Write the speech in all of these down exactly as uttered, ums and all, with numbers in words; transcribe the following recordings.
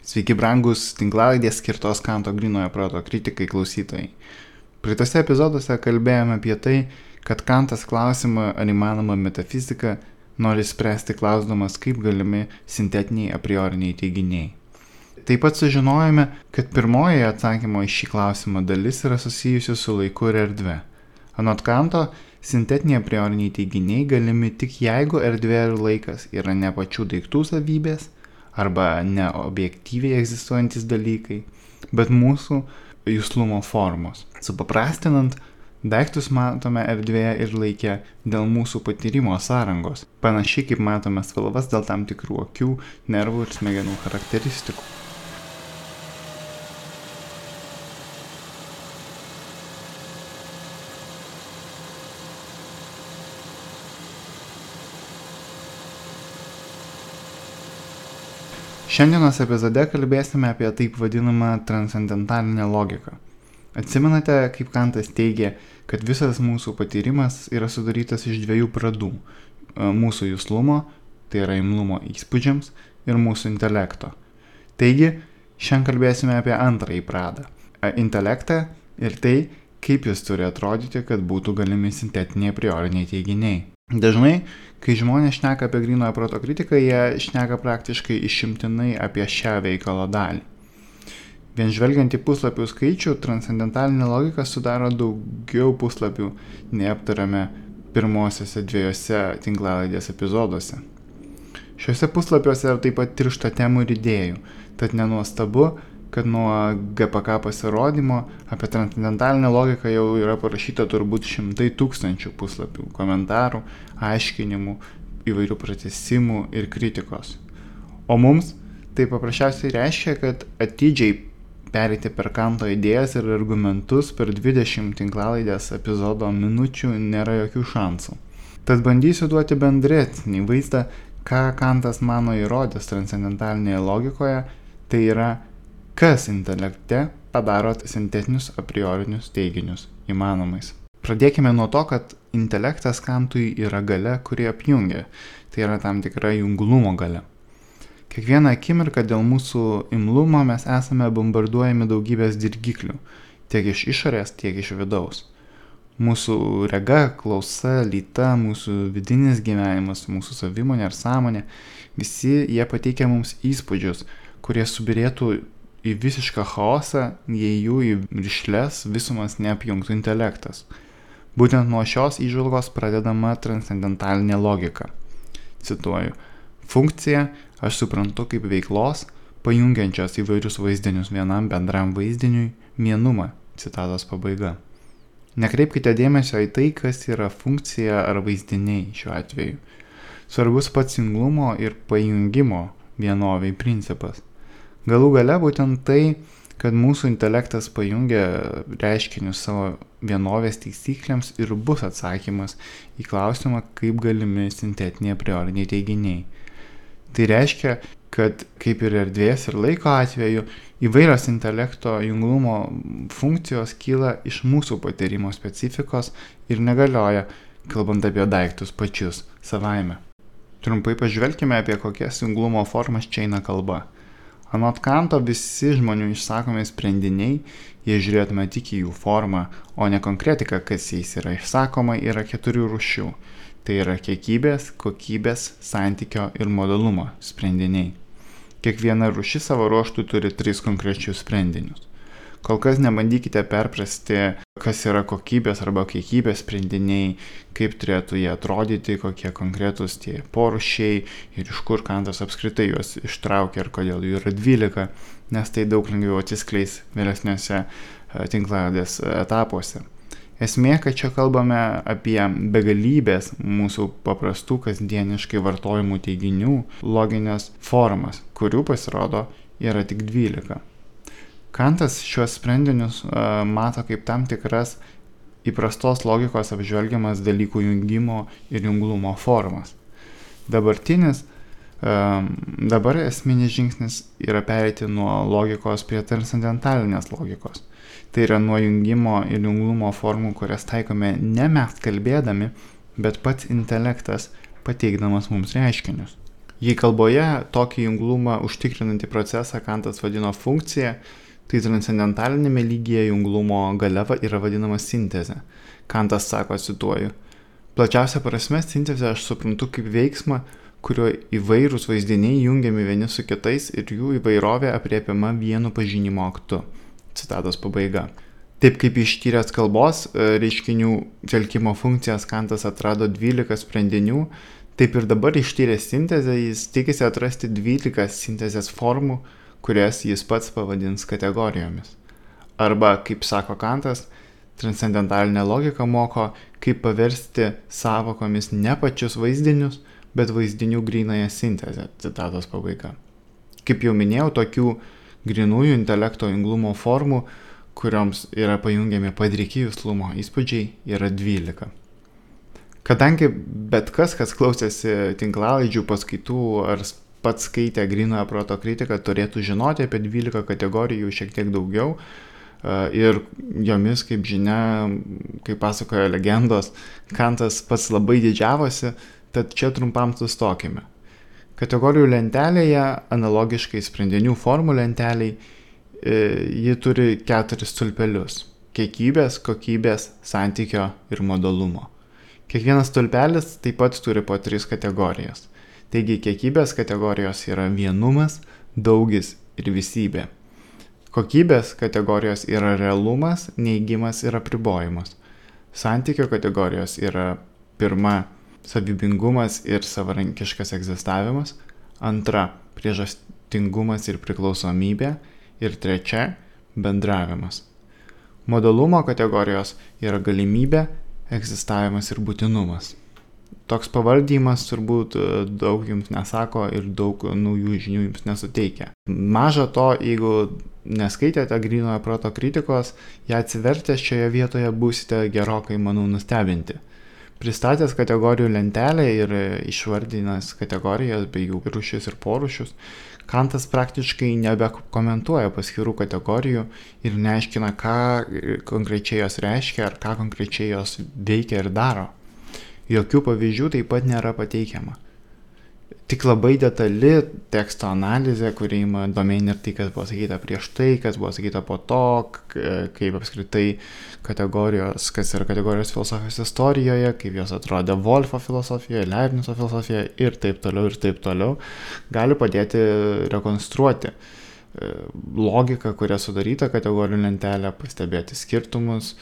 Sveiki brangus tinklalaidės skirtos Kanto grynojo proto kritikai klausytojai. Praeitose epizoduose kalbėjome apie tai, kad Kantas klausimą, ar įmanoma metafizika, nori spręsti klausdamas, kaip galimi sintetiniai a prioriniai teiginiai. Taip pat sužinojome, kad pirmoji atsakymo į šį klausimą dalis yra susijusi su laiku ir erdve. Anot Kanto, sintetiniai a prioriniai teiginiai galimi tik jeigu erdvė ir laikas yra ne pačių daiktų savybės, arba ne objektyviai egzistuojantis dalykai, bet mūsų juslumo formos. Supaprastinant, daiktus matome erdvėje ir laike dėl mūsų patyrimo sąrangos, panašiai kaip matome spalvas dėl tam tikrų akių, nervų ir smegenų charakteristikų. Šiandienos epizode kalbėsime apie taip vadinamą transcendentalinę logiką. Atsimenate, kaip Kantas teigė, kad visas mūsų patyrimas yra sudarytas iš dviejų pradų – mūsų juslumo, tai yra imlumo įspūdžiams, ir mūsų intelekto. Taigi, šiandien kalbėsime apie antrąjį pradą – intelektą ir tai, kaip jis turi atrodyti, kad būtų galimi sintetiniai a prioriniai teiginiai. Dažnai, kai žmonės šneka apie grynojo proto kritiką, jie šneka praktiškai išimtinai apie šią veikalo dalį. Vien žvelgiant į puslapių skaičių, transcendentalinė logika sudaro daugiau puslapių, nei aptarėme pirmosiose dviejose tinklalaidės epizoduose. Šiuose puslapiuose taip pat tiršta temų ir idėjų, tad nenuostabu, kad nuo G P K pasirodymo apie transcendentalinę logiką jau yra parašyta turbūt šimtai tūkstančių puslapių, komentarų, aiškinimų, įvairių pratesimų ir kritikos. O mums tai paprasčiausiai reiškia, kad atidžiai pereiti per Kanto idėjas ir argumentus per dvidešimt tinklalaidės epizodo minučių nėra jokių šansų. Tad bandysiu duoti bendresnį vaizdą, ką Kantas mano įrodęs transcendentalinėje logikoje, tai yra kas intelekte padaro sintetinius a priorinius teiginius įmanomais. Pradėkime nuo to, kad intelektas Kantui yra galia, kuri apjungia, tai yra tam tikra junglumo galia. Kiekvieną akimirką dėl mūsų imlumo mes esame bombarduojami daugybės dirgiklių, tiek iš išorės, tiek iš vidaus. Mūsų rega, klausa, lyta, mūsų vidinis gyvenimas, mūsų savimonė ar sąmonė, visi jie pateikia mums įspūdžius, kurie subirėtų į visišką chaosą, jei jų į rišles visumas neapjungtų intelektas. Būtent nuo šios įžvalgos pradedama transcendentalinė logika. Cituoju, funkcija aš suprantu kaip veiklos, pajungiančios įvairius vaizdinius vienam bendram vaizdiniui, vienumą. Citatos pabaiga. Nekreipkite dėmesio į tai, kas yra funkcija ar vaizdiniai šiuo atveju. Svarbus pats junglumo ir pajungimo vienoviai principas. Galų gale būtent tai, kad mūsų intelektas pajungia reiškinius savo vienovės taisyklėms ir bus atsakymas į klausimą, kaip galimi sintetiniai a prioriniai teiginiai. Tai reiškia, kad kaip ir erdvės ir laiko atveju, įvairios intelekto junglumo funkcijos kyla iš mūsų patyrimo specifikos ir negalioja, kalbant apie daiktus pačius savaime. Trumpai pažvelkime, apie kokias junglumo formas čia eina kalba. Anot Kanto visi žmonių išsakomi sprendiniai, jei žiūrėtume tik į jų formą, o ne konkretiką, kas jais yra išsakoma, yra keturių rūšių. Tai yra kiekybės, kokybės, santykio ir modalumo sprendiniai. Kiekviena rūšis savo ruožtų turi tris konkrečius sprendinius. Kol kas nebandykite perprasti, kas yra kokybės arba kiekybės sprendiniai, kaip turėtų jie atrodyti, kokie konkretus tie porūšiai ir iš kur Kantas apskritai juos ištraukia ir kodėl jų yra dvylika, nes tai daug lengviau atsiskleis vėlesniuose tinklalaidės etapuose. Esmė, kad čia kalbame apie begalybės mūsų paprastų kasdieniškai vartojimų teiginių loginės formas, kurių pasirodo yra tik dvylika. Kantas šiuos sprendinius uh, mato kaip tam tikras įprastos logikos apžvelgiamas dalykų jungimo ir junglumo formas. Dabartinis, uh, dabar esminis žingsnis yra pereiti nuo logikos prie transcendentalinės logikos. Tai yra nuo jungimo ir junglumo formų, kurias taikome ne mes kalbėdami, bet pats intelektas pateikdamas mums reiškinius. Jei kalboje tokį junglumą užtikrinantį procesą Kantas vadino funkcija, tai transcendentalinėme lygyje junglumo galia yra vadinama sintezė. Kantas sako, cituoju, plačiausia prasme sintezę aš suprantu kaip veiksmą, kurio įvairūs vaizdiniai jungiami vieni su kitais ir jų įvairovė apriepiama vienu pažinimo aktu. Citatos pabaiga. Taip kaip ištyręs kalbos reiškinių telkimo funkcijas Kantas atrado dvylika sprendinių, taip ir dabar ištyręs sintezę jis tikisi atrasti dvylika sintezės formų, kurias jis pats pavadins kategorijomis. Arba, kaip sako Kantas, transcendentalinė logika moko, kaip paversti sąvokomis ne pačius vaizdinius, bet vaizdinių grynąją sintezę. Citatos pabaiga. Kaip jau minėjau, tokių grynųjų intelekto junglumo formų, kurioms yra pajungiami padriki juslumo įspūdžiai, yra dvylika. Kadangi bet kas, kas klausėsi tinklalaidžių paskaitų ar pats skaitė grynojo proto kritiką, turėtų žinoti apie dvylika kategorijų šiek tiek daugiau ir jomis, kaip žinia, kaip pasakoja legendos, Kantas pats labai didžiavosi, tad čia trumpam sustokime. Kategorijų lentelėje, analogiškai sprendinių formų lenteliai, ji turi keturis stulpelius – kiekybės, kokybės, santykio ir modalumo. Kiekvienas stulpelis taip pat turi po tris kategorijas. Taigi kiekybės kategorijos yra vienumas, daugis ir visybė. Kokybės kategorijos yra realumas, neigimas ir apribojimas. Santykio kategorijos yra pirma savybingumas ir savarankiškas egzistavimas, antra priežastingumas ir priklausomybė, ir trečia – bendravimas. Modalumo kategorijos yra galimybė, egzistavimas ir būtinumas. Toks pavaldymas turbūt daug jums nesako ir daug naujų žinių jums nesuteikia. Maža to, jeigu neskaitėte grynojo proto kritikos, ją atsivertęs šioje vietoje būsite gerokai, manau, nustebinti. Pristatęs kategorijų lentelę ir išvardinęs kategorijas bei jų rūšis ir porūšius, Kantas praktiškai nebekomentuoja paskirų kategorijų ir neaiškina, ką konkrečiai jos reiškia ar ką konkrečiai jos veikia ir daro. Jokių pavyzdžių taip pat nėra pateikiama. Tik labai detali teksto analizė, kuri ima domėn ir tai, kas buvo sakyta prieš tai, kas buvo sakyta po to, kaip apskritai kategorijos, kas yra kategorijos filosofijos istorijoje, kaip jos atrodė Wolfo filosofijoje, Leibnizo filosofijoje ir taip toliau ir taip toliau, gali padėti rekonstruoti logiką, kuria sudaryta kategorijų lentelė, pastebėti skirtumus,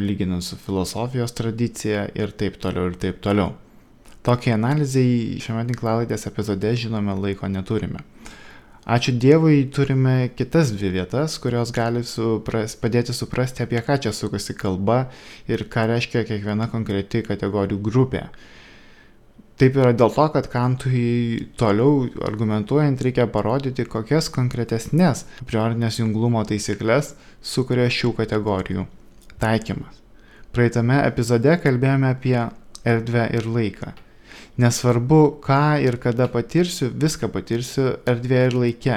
lyginant su filosofijos tradicija ir taip toliau ir taip toliau. Tokiai analizai šiame tinklalaidės epizode, žinome, laiko neturime. Ačiū Dievui, turime kitas dvi vietas, kurios gali supras, padėti suprasti, apie ką čia sukasi kalba ir ką reiškia kiekviena konkreti kategorijų grupė. Taip yra dėl to, kad Kantui toliau argumentuojant reikia parodyti, kokias konkretesnės priorinės junglumo taisyklės sukuria šių kategorijų taikymas. Praeitame epizode kalbėjome apie erdvę ir laiką. Nesvarbu, ką ir kada patirsiu, viską patirsiu erdvėje ir laike,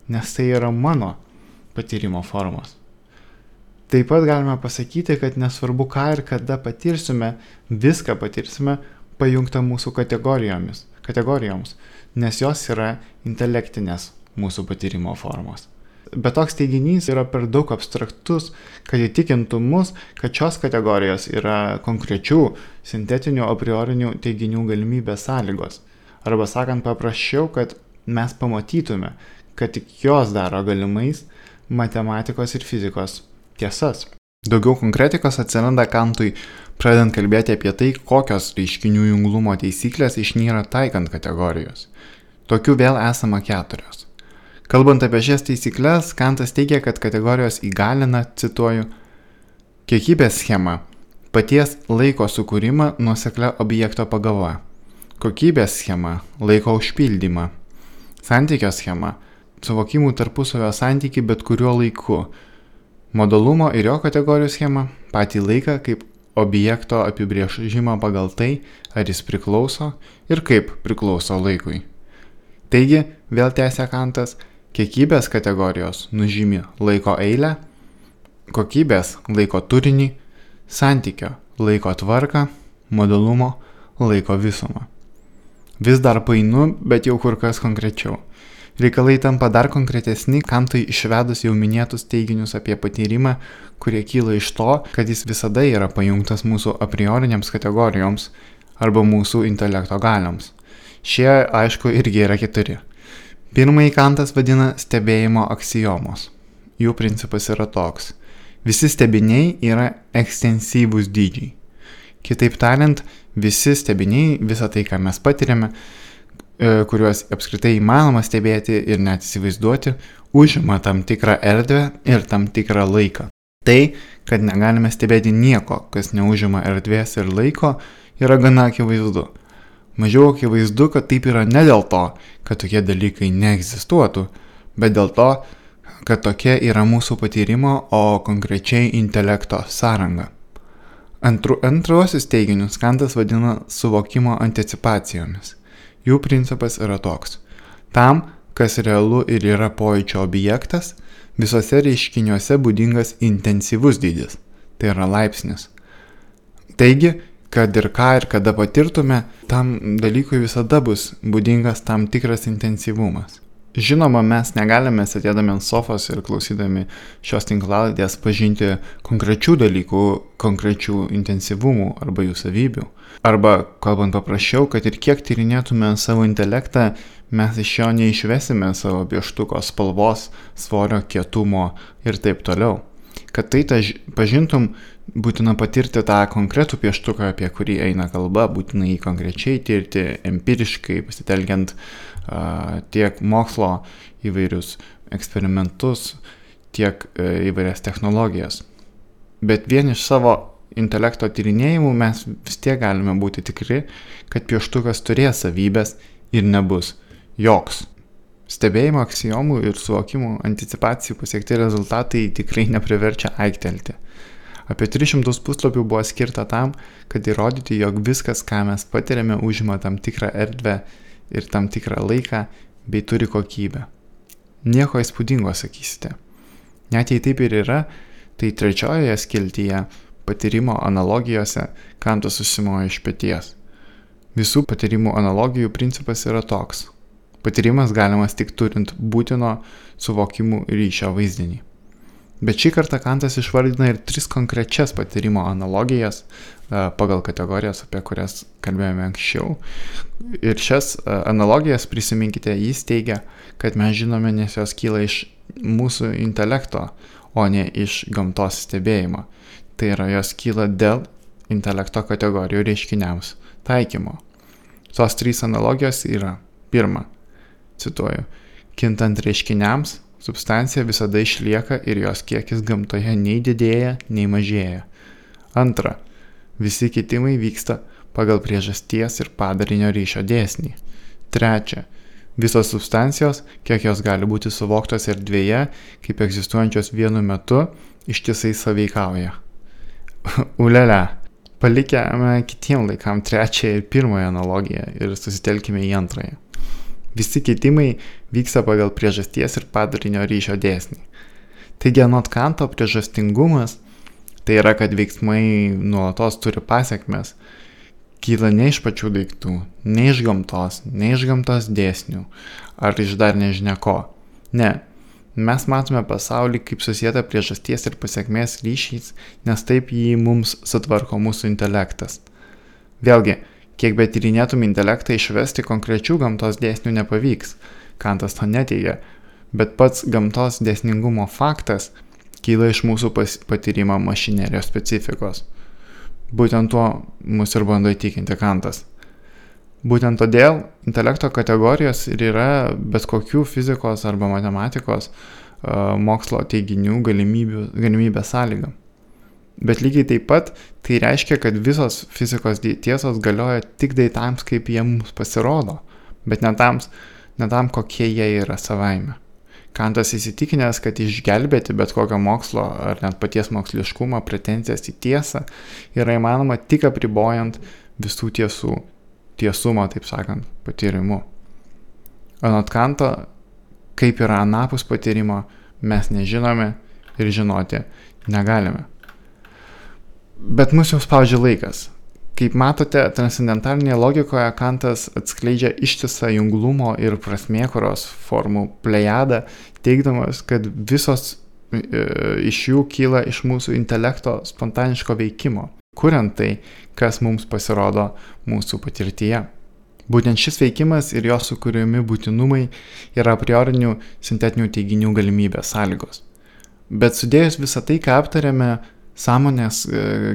nes tai yra mano patyrimo formos. Taip pat galime pasakyti, kad nesvarbu, ką ir kada patirsime, viską patirsime pajungta mūsų kategorijomis, kategorijoms, nes jos yra intelektinės mūsų patyrimo formos. Bet toks teiginys yra per daug abstraktus, kad įtikintų mus, kad šios kategorijos yra konkrečių sintetinių a priorinių teiginių galimybės sąlygos. Arba sakant paprasčiau, kad mes pamatytume, kad tik jos daro galimais matematikos ir fizikos tiesas. Daugiau konkretikos atsiranda Kantui, pradedant kalbėti apie tai, kokios reiškinių junglumo taisyklės išnyra taikant kategorijos. Tokių vėl esama keturios. Kalbant apie šias taisyklės, Kantas teigia, kad kategorijos įgalina, cituoju, kiekybės schema – paties laiko sukūrimą nuoseklia objekto pagava, kokybės schema – laiko užpildymą, santykio schema – suvokimų tarpusavio santykį bet kuriuo laiku, modalumo ir jo kategorijų schema – patį laiką kaip objekto apibrėžimą pagal tai, ar jis priklauso ir kaip priklauso laikui. Taigi, vėl tęsia Kantas, kiekybės kategorijos nužymi laiko eilę, kokybės laiko turinį, santykio laiko tvarką, modalumo laiko visumą. Vis dar painu, bet jau kur kas konkrečiau. Reikalai tampa dar konkretesni, Kantui išvedus jau minėtus teiginius apie patyrimą, kurie kyla iš to, kad jis visada yra pajungtas mūsų a priorinėms kategorijoms arba mūsų intelekto galioms. Šie, aišku, irgi yra keturi. Pirmąjį Kantas vadina stebėjimo aksiomos. Jų principas yra toks. Visi stebiniai yra ekstensyvūs dydžiai. Kitaip tariant, visi stebiniai, visa tai, ką mes patiriame, kuriuos apskritai įmanoma stebėti ir net įsivaizduoti, užima tam tikrą erdvę ir tam tikrą laiką. Tai, kad negalime stebėti nieko, kas neužima erdvės ir laiko, yra gana akivaizdu. Mažiau akivaizdu, kad taip yra ne dėl to, kad tokie dalykai neegzistuotų, bet dėl to, kad tokia yra mūsų patyrimo, o konkrečiai intelekto sąranga. Antru, antruosius teiginius Kantas vadina suvokimo anticipacijomis. Jų principas yra toks. Tam, kas realu ir yra pojūčio objektas, visose reiškiniuose būdingas intensyvus dydis, tai yra laipsnis. Taigi, kad ir ką ir kada patirtume, tam dalykui visada bus būdingas tam tikras intensyvumas. Žinoma, mes negalime sėdėdami ant sofos ir klausydami šios tinklalaidės pažinti konkrečių dalykų, konkrečių intensyvumų arba jų savybių. Arba, kalbant paprasčiau, kad ir kiek tyrinėtume savo intelektą, mes iš jo neišvesime savo pieštuko spalvos, svorio, kietumo ir taip toliau. Kad tai taž, pažintum, būtina patirti tą konkretų pieštuką, apie kurį eina kalba, būtina jį konkrečiai tirti, empiriškai, pasitelkiant uh, tiek mokslo įvairius eksperimentus, tiek uh, įvairias technologijas. Bet vien iš savo intelekto tyrinėjimų mes vis tiek galime būti tikri, kad pieštukas turės savybės ir nebus joks. Stebėjimo aksiomų ir suvokimų anticipacijų pasiekti rezultatai tikrai nepriverčia aiktelti. Apie tris šimtus puslapių buvo skirta tam, kad įrodyti, jog viskas, ką mes patiriame, užima tam tikrą erdvę ir tam tikrą laiką, bei turi kokybę. Nieko įspūdingo, sakysite. Net jei taip ir yra, tai trečiojoje skiltyje patyrimo analogijose Kantas susimojo iš peties. Visų patyrimų analogijų principas yra toks. Patyrimas galimas tik turint būtino suvokimų ryšio vaizdinį. Bet šį kartą Kantas išvardina ir tris konkrečias patyrimo analogijas pagal kategorijas, apie kurias kalbėjome anksčiau. Ir šias analogijas, prisiminkite, jis teigia, kad mes žinome, nes jos kyla iš mūsų intelekto, o ne iš gamtos stebėjimo. Tai yra, jos kyla dėl intelekto kategorijų reiškiniams taikymo. Tos trys analogijos yra: pirma, cituoju, kintant reiškiniams, substancija visada išlieka ir jos kiekis gamtoje nei didėja, nei mažėja. Antra, visi kitimai vyksta pagal priežasties ir padarinio ryšio dėsnį. Trečia, visos substancijos, kiek jos gali būti suvoktos erdvėje, kaip egzistuojančios vienu metu, ištisai sąveikauja. Ulele, palikime kitiem laikam trečiąją ir pirmąją analogiją ir susitelkime į antrąją. Visi kitimai vyksta pagal priežasties ir padarinio ryšio dėsnį. Taigi, anot Kanto, priežastingumas, tai yra, kad veiksmai nuolatos turi pasekmes, kyla ne iš pačių daiktų, ne iš gamtos, ne iš gamtos dėsnių, ar iš dar nežinia ko. Ne, mes matome pasaulį kaip susietą priežasties ir pasekmės ryšiais, nes taip jį mums sutvarko mūsų intelektas. Vėlgi, kiek bet tyrinėtum intelektą, išvesti konkrečių gamtos dėsnių nepavyks. Kantas to neteigia, bet pats gamtos dėsningumo faktas kyla iš mūsų patyrimo mašinerijos specifikos. Būtent tuo mus ir bando įtikinti Kantas. Būtent todėl intelekto kategorijos ir yra bet kokių fizikos arba matematikos uh, mokslo teiginių galimybės sąlyga. Bet lygiai taip pat tai reiškia, kad visos fizikos tiesos galioja tik daitams, kaip jie mums pasirodo, bet ne tam, ne tam kokie jie yra savaime. Kantas įsitikinęs, kad išgelbėti bet kokio mokslo ar net paties moksliškumo pretenzijas į tiesą yra įmanoma tik apribojant visų tiesų, tiesumo, taip sakant, patyrimu. Anot Kanto, kaip yra anapus patyrimo, mes nežinome ir žinoti negalime. Bet mus jau spaudžia laikas. Kaip matote, transcendentalinėje logikoje Kantas atskleidžia ištisą junglumo ir prasmėkuros formų plejadą, teigdamas, kad visos e, iš jų kyla iš mūsų intelekto spontaniško veikimo, kuriant tai, kas mums pasirodo mūsų patirtyje. Būtent šis veikimas ir jo sukūrimi būtinumai yra a priorinių sintetinių teiginių galimybės sąlygos. Bet sudėjus visą tai, ką aptarėme, sąmonės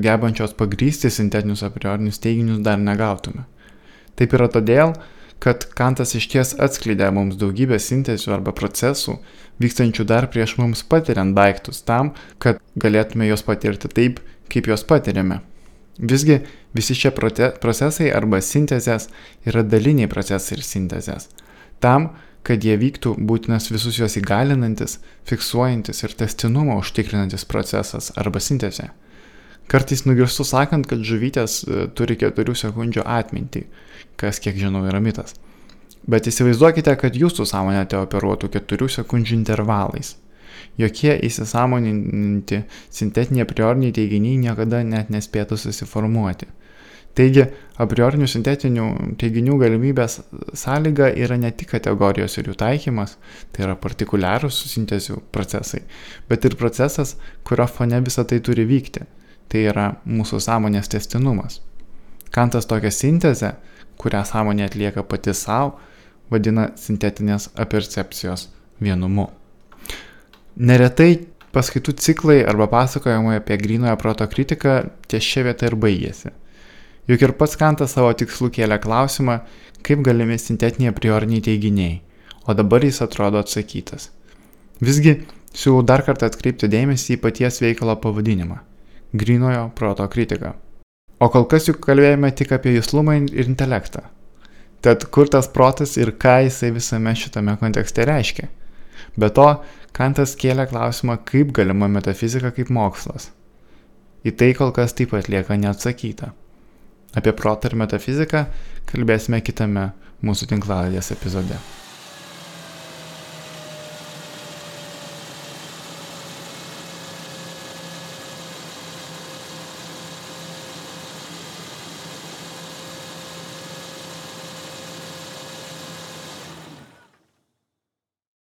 gebančios pagrysti sintetinius a priorinius teiginius dar negautume. Taip yra todėl, kad Kantas išties atskleidė mums daugybę sintezių arba procesų, vykstančių dar prieš mums patiriant daiktus tam, kad galėtume juos patirti taip, kaip juos patiriame. Visgi visi šie procesai arba sintezės yra daliniai procesai ir sintezės. Tam, kad jie vyktų, būtinas visus juos įgalinantis, fiksuojantis ir testinumą užtikrinantis procesas arba sintezė. Kartais nugirstu sakant, kad žuvytės turi keturių sekundžių atmintį, kas, kiek žinau, yra mitas. Bet įsivaizduokite, kad jūsų sąmonė te operuotų keturių sekundžių intervalais. Jokie įsisąmoninti sintetiniai a prioriniai teiginiai niekada net nespėtų susiformuoti. Taigi, a priorinių sintetinių teiginių galimybės sąlyga yra ne tik kategorijos ir jų taikymas, tai yra partikuliarūs sintezių procesai, bet ir procesas, kurio fone visą tai turi vykti, tai yra mūsų sąmonės tęstinumas. Kantas tokią sintezę, kurią sąmonė atlieka pati savo, vadina sintetinės apercepcijos vienumu. Neretai paskaitų ciklai arba pasakojimai apie grynojo proto kritiką ties šia vieta ir baigėsi. Juk ir pats Kantas savo tikslų kėlė klausimą, kaip galimi sintetiniai a prioriniai teiginiai, o dabar jis atrodo atsakytas. Visgi, siūlau dar kartą atkreipti dėmesį į paties veikalo pavadinimą – grynojo proto kritika. O kol kas juk kalbėjome tik apie juslumą ir intelektą. Tad kur tas protas ir ką jisai visame šitame kontekste reiškia? Be to, Kantas kėlė klausimą, kaip galima metafizika kaip mokslas. Į tai kol kas taip pat lieka neatsakyta. Apie protą ir metafiziką kalbėsime kitame mūsų tinklalaidės epizode.